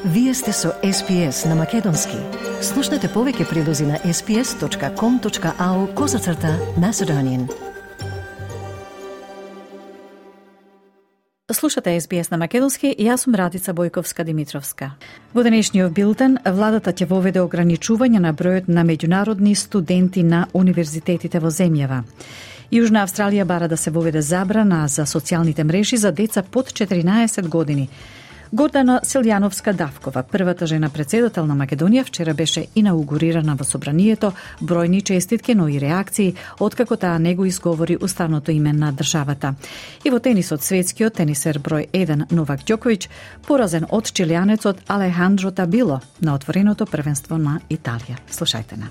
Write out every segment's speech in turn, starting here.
Вие сте со SPS на Македонски. Слушнете повеќе прилози на sps.com.au/Macedonian. Слушате SBS на Македонски и јас сум Радица Бојковска-Димитровска. Во денешниот билтен, владата ќе воведе ограничување на бројот на меѓународни студенти на универзитетите во земјава. Јужна Австралија бара да се воведе забрана за социјалните мрежи за деца под 14 години. Гордана Силјановска-Давкова, првата жена председател на Македонија, вчера беше инаугурирана во собранието, бројни честитки, но и реакции, откако таа не го изговори уставното име на државата. И во тенисот, светскиот тенисер број 1 Новак Ѓоковиќ поразен од чилијанецот Алехандро Табило на отвореното првенство на Италија. Слушајте на.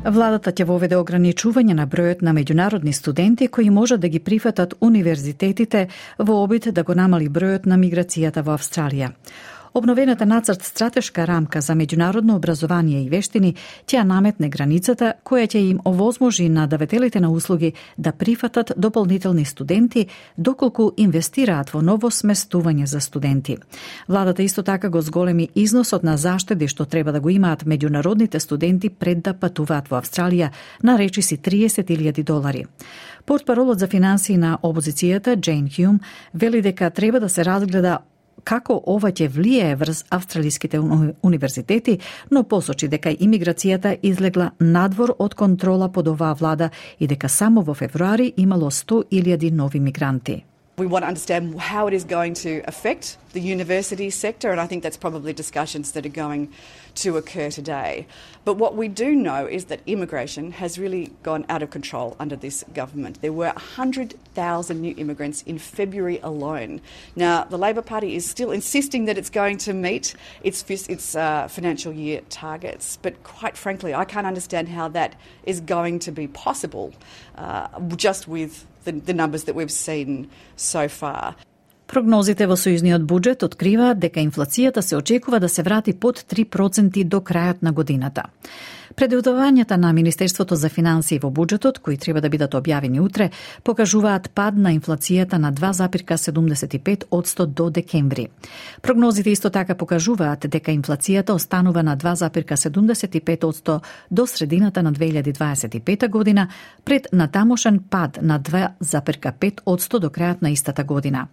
Владата ќе воведе ограничување на бројот на меѓународни студенти кои можат да ги прифатат универзитетите во обид да го намали бројот на миграцијата во Австралија. Обновената нацрт стратешка рамка за меѓународно образование и вештини ќе наметне границата која ќе им овозможи на давателите на услуги да прифатат дополнителни студенти доколку инвестираат во ново сместување за студенти. Владата исто така го зголеми износот на заштеди што треба да го имаат меѓународните студенти пред да патуваат во Австралија на речиси $30,000. Портпаролот за финансии на опозицијата Джейн Хјум вели дека треба да се разгледа како ова ќе влијае врз австралиските универзитети, но посочи дека имиграцијата излегла надвор од контрола под оваа влада и дека само во февруари имало 100,000 нови мигранти. We want to understand how it is going to affect the university sector, and I think that's probably discussions that are going to occur today. But what we do know is that immigration has really gone out of control under this government. There were 100,000 new immigrants in February alone. Now, the Labor Party is still insisting that it's going to meet its financial year targets, but quite frankly, I can't understand how that is going to be possible just with the numbers that we've seen so far. Прогнозите во сојузниот буџет откриваат дека инфлацијата се очекува да се врати под 3% до крајот на годината. Предвидувањата на Министерството за финансии во буџетот, кои треба да бидат објавени утре, покажуваат пад на инфлацијата на 2,75% до декември. Прогнозите исто така покажуваат дека инфлацијата останува на 2,75% до средината на 2025 година, пред натамошен пад на 2,5% до крајот на истата година.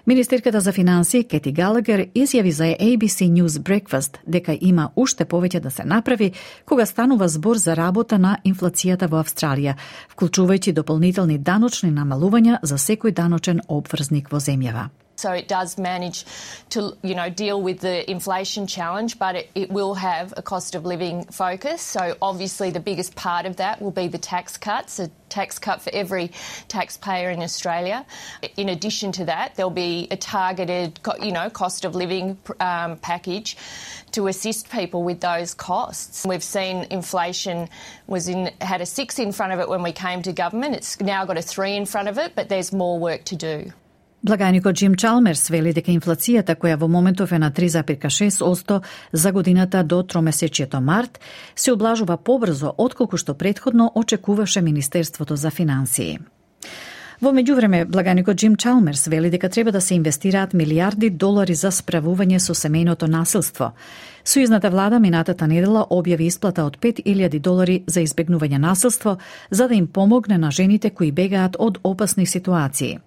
Министерката за финансии Кети Галагер изјави за ABC News Breakfast дека има уште повеќе да се направи кога станува збор за работа на инфлацијата во Австралија, вклучувајќи дополнителни даночни намалувања за секој даночен обврзник во земјава. So it does manage to, deal with the inflation challenge, but it will have a cost of living focus. So obviously the biggest part of that will be the tax cuts, a tax cut for every taxpayer in Australia. In addition to that, there'll be a targeted, cost of living package to assist people with those costs. We've seen inflation had a 6 in front of it when we came to government. It's now got a 3 in front of it, but there's more work to do. Благајникот Джим Чалмерс вели дека инфлацијата која во моментов е на 3,6% за годината до тромесечието март се облажува побрзо отколку што претходно очекуваше Министерството за финансии. Во меѓувреме, благајникот Джим Чалмерс вели дека треба да се инвестираат $милиарди за справување со семејното насилство. Сојузната влада минатата недела објави исплата од $5,000 за избегнување насилство, за да им помогне на жените кои бегаат од опасни ситуации.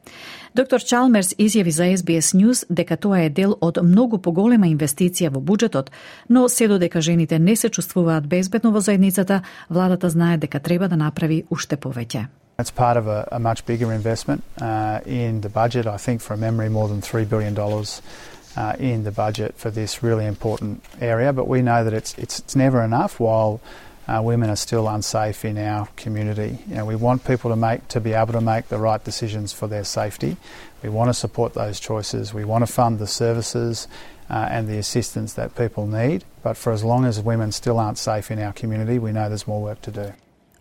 Доктор Чалмерс изјави за SBS News дека тоа е дел од многу поголема инвестиција во буџетот, но се додека жените не се чувствуваат безбедно во заедницата, владата знае дека треба да направи уште повеќе. It's part of a much bigger investment in the budget. I think, from memory, more than $3 billion in the budget for this really important area. But we know that it's never enough while women are still unsafe in our community. We want people to be able to make the right decisions for their safety. We want to support those choices. We want to fund the services and the assistance that people need. But for as long as women still aren't safe in our community, we know there's more work to do.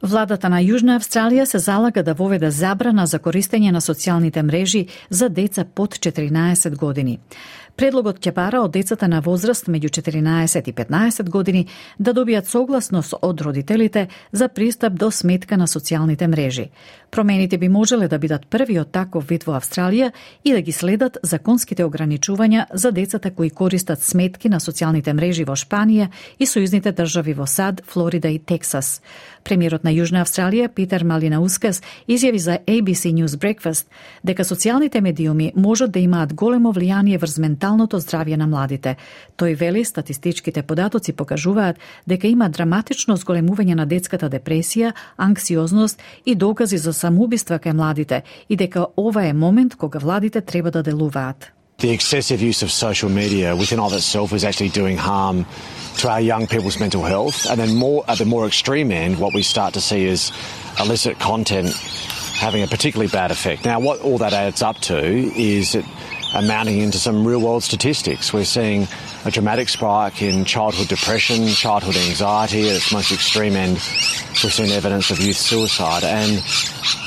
Владата на Јужна Австралија се залага да воведе забрана за користење на социјалните мрежи за деца под 14 години. Предлогот ќе бара од децата на возраст меѓу 14 и 15 години да добијат согласност од родителите за пристап до сметка на социјалните мрежи. Промените би можеле да бидат првиот таков вид во Австралија и да ги следат законските ограничувања за децата кои користат сметки на социјалните мрежи во Шпанија и сојузните држави во САД, Флорида и Тексас. Премиерот на Јужна Австралија, Питер Малинаускас, изјави за ABC News Breakfast дека социјалните медиуми можат да имаат големо влијание врз менталното здравје на младите. Тој вели статистичките податоци покажуваат дека има драматично зголемување на детската депресија, анксиозност и докази за самоубиства кај младите и дека ова е момент кога владите треба да делуваат. The excessive use of social media within of itself is actually doing harm to our young people's mental health. And then at the more extreme end, what we start to see is illicit content having a particularly bad effect. Now, what all that adds up to is it amounting into some real-world statistics. We're seeing a dramatic spike in childhood depression, childhood anxiety. At its most extreme end, we've seen evidence of youth suicide. And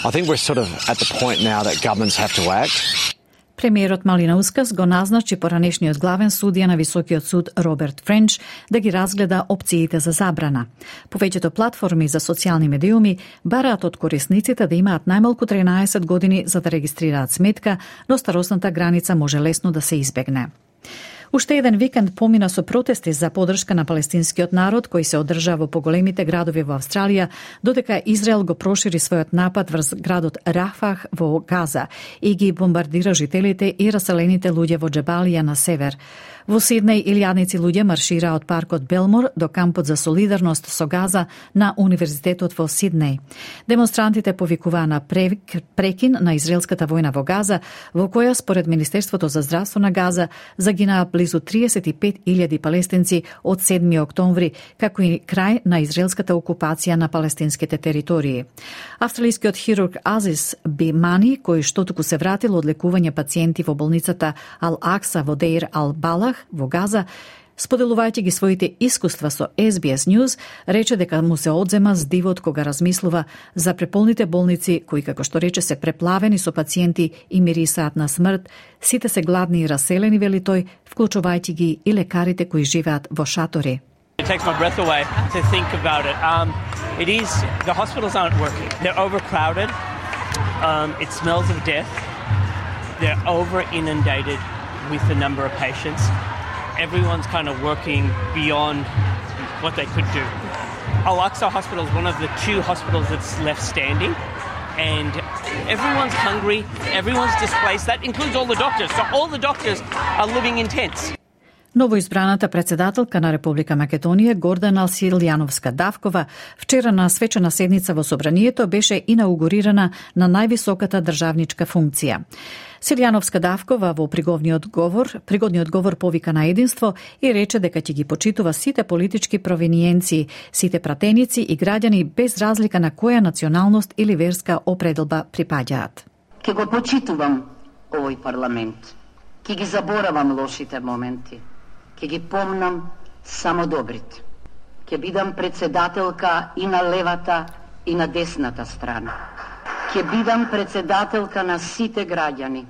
I think we're sort of at the point now that governments have to act. Премиерот Малинаускас го назначи поранешниот главен судија на Високиот суд Роберт Френч да ги разгледа опциите за забрана. Повеќето платформи за социјални медиуми бараат од корисниците да имаат најмалку 13 години за да регистрираат сметка, но старосната граница може лесно да се избегне. Уште еден викенд помина со протести за поддршка на палестинскиот народ кој се одржа во поголемите градови во Австралија, додека Израел го прошири својот напад врз градот Рафах во Газа и ги бомбардира жителите и раселените луѓе во Џебалија на север. Во Сиднеј илјадници луѓе маршираа од паркот Белмор до кампот за солидарност со Газа на Универзитетот во Сиднеј. Демонстрантите повикуваа на прекин на израелската војна во Газа, во која според Министерството за здравство на Газа загинаа близу 35.000 палестинци од 7 октомври, како и крај на израелската окупација на палестинските територии. Австралискиот хирург Азис Бимани, кој што туку се вратил од лекување пациенти во болницата Ал-Акса во Деир Ал-Балах во Газа, споделувајќи ги своите искуства со SBS News, рече дека му се одзема здивот кога размислува за преполните болници кои, како што рече, се преплавени со пациенти и мирисаат на смрт, сите се гладни и раселени, вели тој, вклучувајќи ги и лекарите кои живеат во шатори. It takes my breath away to think about it. The hospitals aren't working. They're overcrowded. It smells of death. They're over inundated with the number of patients. Everyone's kind of working beyond what they could do. Al-Aqsa Hospital is one of the 2 hospitals that's left standing, and everyone's hungry, everyone's displaced. That includes all the doctors. So all the doctors are living in tents. Новоизбраната председателка на Република Македонија Гордана Силјановска-Давкова вчера на свечена седница во Собранието беше инаугурирана на највисоката државничка функција. Силјановска-Давкова во пригодниот говор повика на единство и рече дека ќе ги почитува сите политички провиниенции, сите пратеници и граѓани без разлика на која националност или верска определба припаѓаат. Ке го почитувам овој парламент. Ке ги заборавам лошите моменти. Ке ги помнам само добрите. Ке бидам председателка и на левата и на десната страна. Ке бидам председателка на сите граѓани.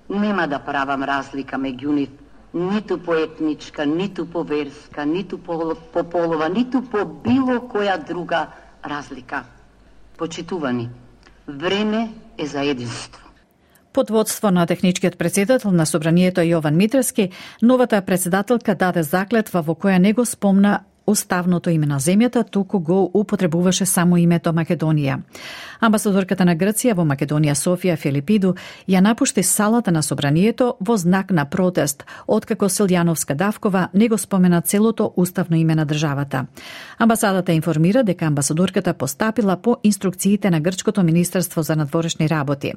Нема да правам разлика меѓу нив, ниту по етничка, ниту по верска, ниту по полова, ниту по било која друга разлика. Почитувани, време е за единство. Под водство на техничкиот председател на Собранието Јован Митрески, новата председателка даде заклетва во која не го спомна уставното име на земјата, туку го употребуваше само името Македонија. Амбасадорката на Грција во Македонија Софија Филипиду ја напушти салата на Собранието во знак на протест, откако Силјановска-Давкова не го спомена целото уставно име на државата. Амбасадата информира дека амбасадорката постапила по инструкциите на Грчкото министерство за надворешни работи.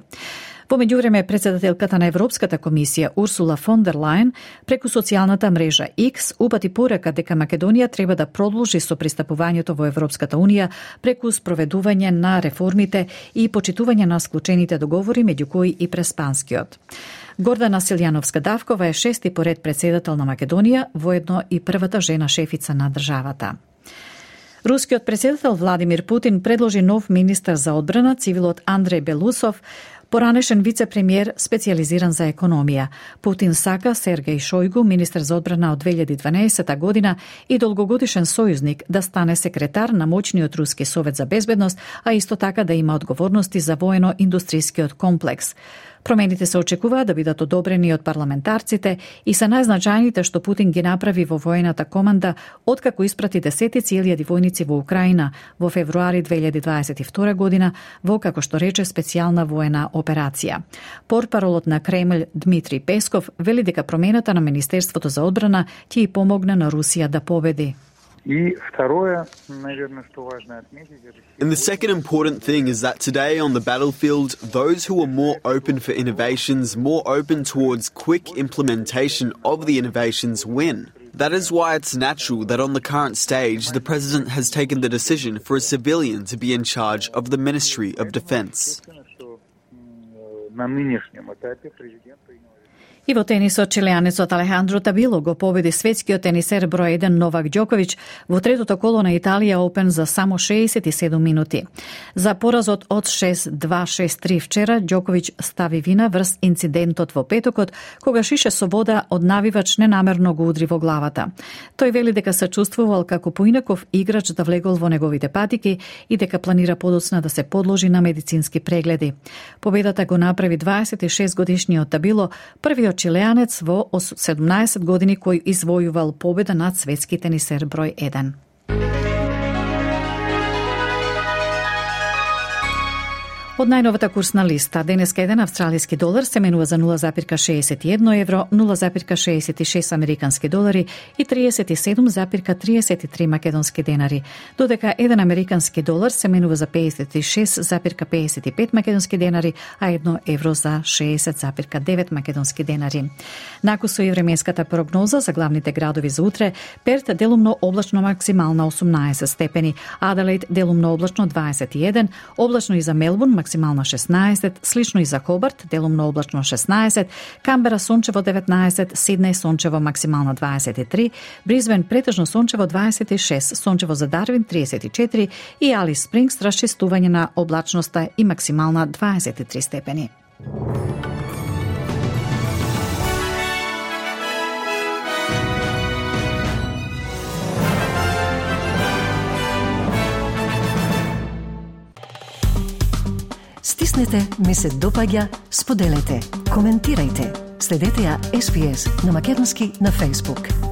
Во меѓувреме, председателката на Европската комисија Урсула фон дер Лајен преку социјалната мрежа X упати порака дека Македонија треба да продолжи со пристапувањето во Европската унија преку спроведување на реформите и почитување на склучените договори, меѓу кои и преспанскиот. Гордана Силјановска-Давкова е 6ти поред председател на Македонија, воедно и првата жена шефица на државата. Рускиот председател Владимир Путин предложи нов министар за одбрана, цивилот Андреј Белусов, Поранешен вице-премиер специјализиран за економија. Путин сака Сергеј Шојгу, министер за одбрана од 2012 година и долгогодишен сојузник, да стане секретар на моćниот Руски совет за безбедност, а исто така да има одговорности за воено-индустријскиот комплекс. Промените се очекуваат да бидат одобрени од парламентарците и се најзначајните што Путин ги направи во воената команда откако испрати десетици илјади војници во Украина во февруари 2022 година во, како што рече, специјална воена операција. Портпаролот на Кремљ Дмитрий Песков вели дека промената на Министерството за одбрана ќе и помогне на Русија да победи. And the second important thing is that today on the battlefield, those who are more open for innovations, more open towards quick implementation of the innovations win. That is why it's natural that on the current stage, the President has taken the decision for a civilian to be in charge of the Ministry of Defense. И во тенисот, чилеанецот Алехандро Табило го победи светскиот тенисер број 1 Новак Џоковиќ во третото коло на Италија Опен за само 67 минути. За поразот од 6-2-6-3 вчера, Џоковиќ стави вина врз инцидентот во петокот, кога Шише Собода од навивач ненамерно го удри во главата. Тој вели дека се чувствувал како поинаков играч да влегол во неговите патики и дека планира подоцна да се подложи на медицински прегледи. Победата го направи 26-годишниот Табило, првиот чилеанец во 17 години кој извојувал победа над светски тенисер број 1. Од најновата курсна листа, денеска еден австралиски долар се менува за 0,61 евро, 0,66 американски долари и 37,33 македонски денари, додека еден американски долар се менува за 56,55 македонски денари, а 1 евро за 60,9 македонски денари. Накусо и временската прогноза за главните градови за утре: Перт делумно облачно максимална 18 степени, Аделаид делумно облачно 21, облачно и за Мелбурн максимална 16, слично и за Хобарт, делумно облачно 16, Камбера сончево 19, Сиднеј сончево максимална 23, Бризбен претежно сончево 26, сончево за Дарвин 34 и Алис Спрингс расчистување на облачноста и максимална 23 степени. Стиснете, ми се допаѓа, споделете, коментирајте. Следете ја SPS на Македонски на Facebook.